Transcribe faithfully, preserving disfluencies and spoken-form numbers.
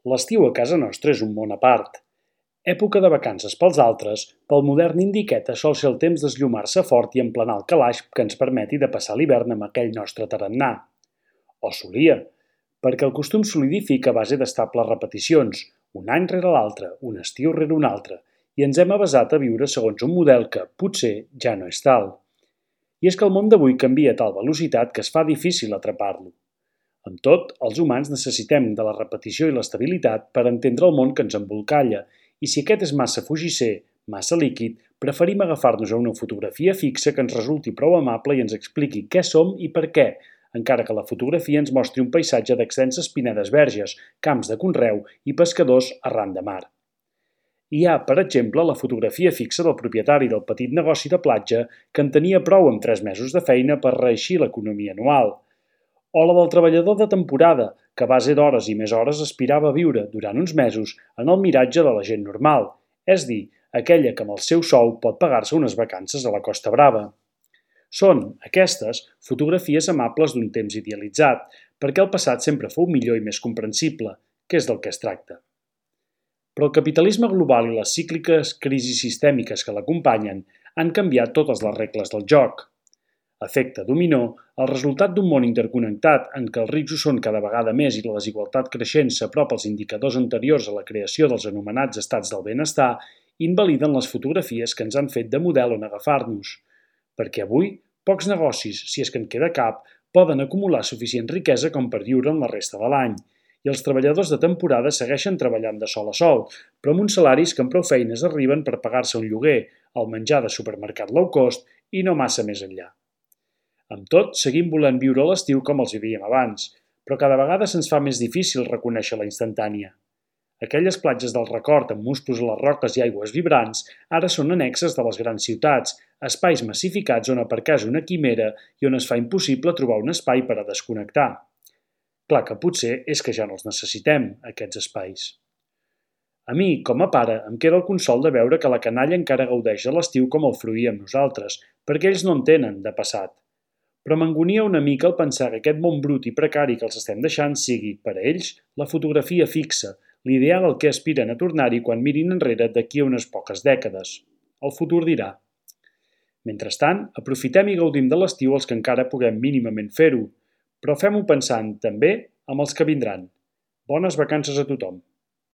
L'estiu a casa nostra és un món a part. Època de vacances pels altres, pel modern indiqueta sol ser el temps d'esllomar-se fort i emplenar el calaix que ens permeti de passar l'hivern amb aquell nostre tarannà. O solia, perquè el costum solidifica a base d'estables repeticions, un any rere l'altre, un estiu rere un altre, i ens hem avesat a viure segons un model que, potser, ja no és tal. I és que el món d'avui canvia a tal velocitat que es fa difícil atrapar-lo. Amb tot, els humans necessitem de la repetició i l'estabilitat per entendre el món que ens embolcalla, i si aquest és massa fugisser, massa líquid, preferim agafar-nos a una fotografia fixa que ens resulti prou amable i ens expliqui què som i per què, encara que la fotografia ens mostri un paisatge d'extenses pinedes verges, camps de conreu i pescadors arran de mar. Hi ha, per exemple, la fotografia fixa del propietari del petit negoci de platja que en tenia prou amb tres mesos de feina per reeixir l'economia anual, o la del treballador de temporada, que a base d'hores i més hores aspirava a viure, durant uns mesos, en el miratge de la gent normal, és dir, aquella que amb el seu sou pot pagar-se unes vacances a la Costa Brava. Són, aquestes, fotografies amables d'un temps idealitzat, perquè el passat sempre fou millor i més comprensible, que és del que es tracta. Però el capitalisme global i les cícliques crisis sistèmiques que l'acompanyen han canviat totes les regles del joc. Efecte dominó, el resultat d'un món interconnectat en què els rics ho són cada vegada més i la desigualtat creixent s'apropa als indicadors anteriors a la creació dels anomenats estats del benestar, invaliden les fotografies que ens han fet de model on agafar-nos. Perquè avui, pocs negocis, si és que en queda cap, poden acumular suficient riquesa com per viure en la resta de l'any, i els treballadors de temporada segueixen treballant de sol a sol, però amb uns salaris que amb prou feines arriben per pagar-se un lloguer, el menjar de supermercat low cost i no massa més enllà. Amb tot, seguim volent viure l'estiu com els vivíem abans, però cada vegada se'ns fa més difícil reconèixer la instantània. Aquelles platges del record amb musclos a les roques i aigües vibrants ara són annexes de les grans ciutats, espais massificats on aparcar és una quimera i on es fa impossible trobar un espai per a desconnectar. Clar que potser és que ja no els necessitem, aquests espais. A mi, com a pare, em queda el consol de veure que la canalla encara gaudeix de l'estiu com el fruïem nosaltres, perquè ells no en tenen, de passat. Però m'angonia una mica el pensar que aquest món brut i precari que els estem deixant sigui, per a ells, la fotografia fixa, l'ideal al que aspiren a tornar-hi quan mirin enrere d'aquí a unes poques dècades. El futur dirà. Mentrestant, aprofitem i gaudim de l'estiu els que encara puguem mínimament fer-ho, però fem-ho pensant, també, amb els que vindran. Bones vacances a tothom!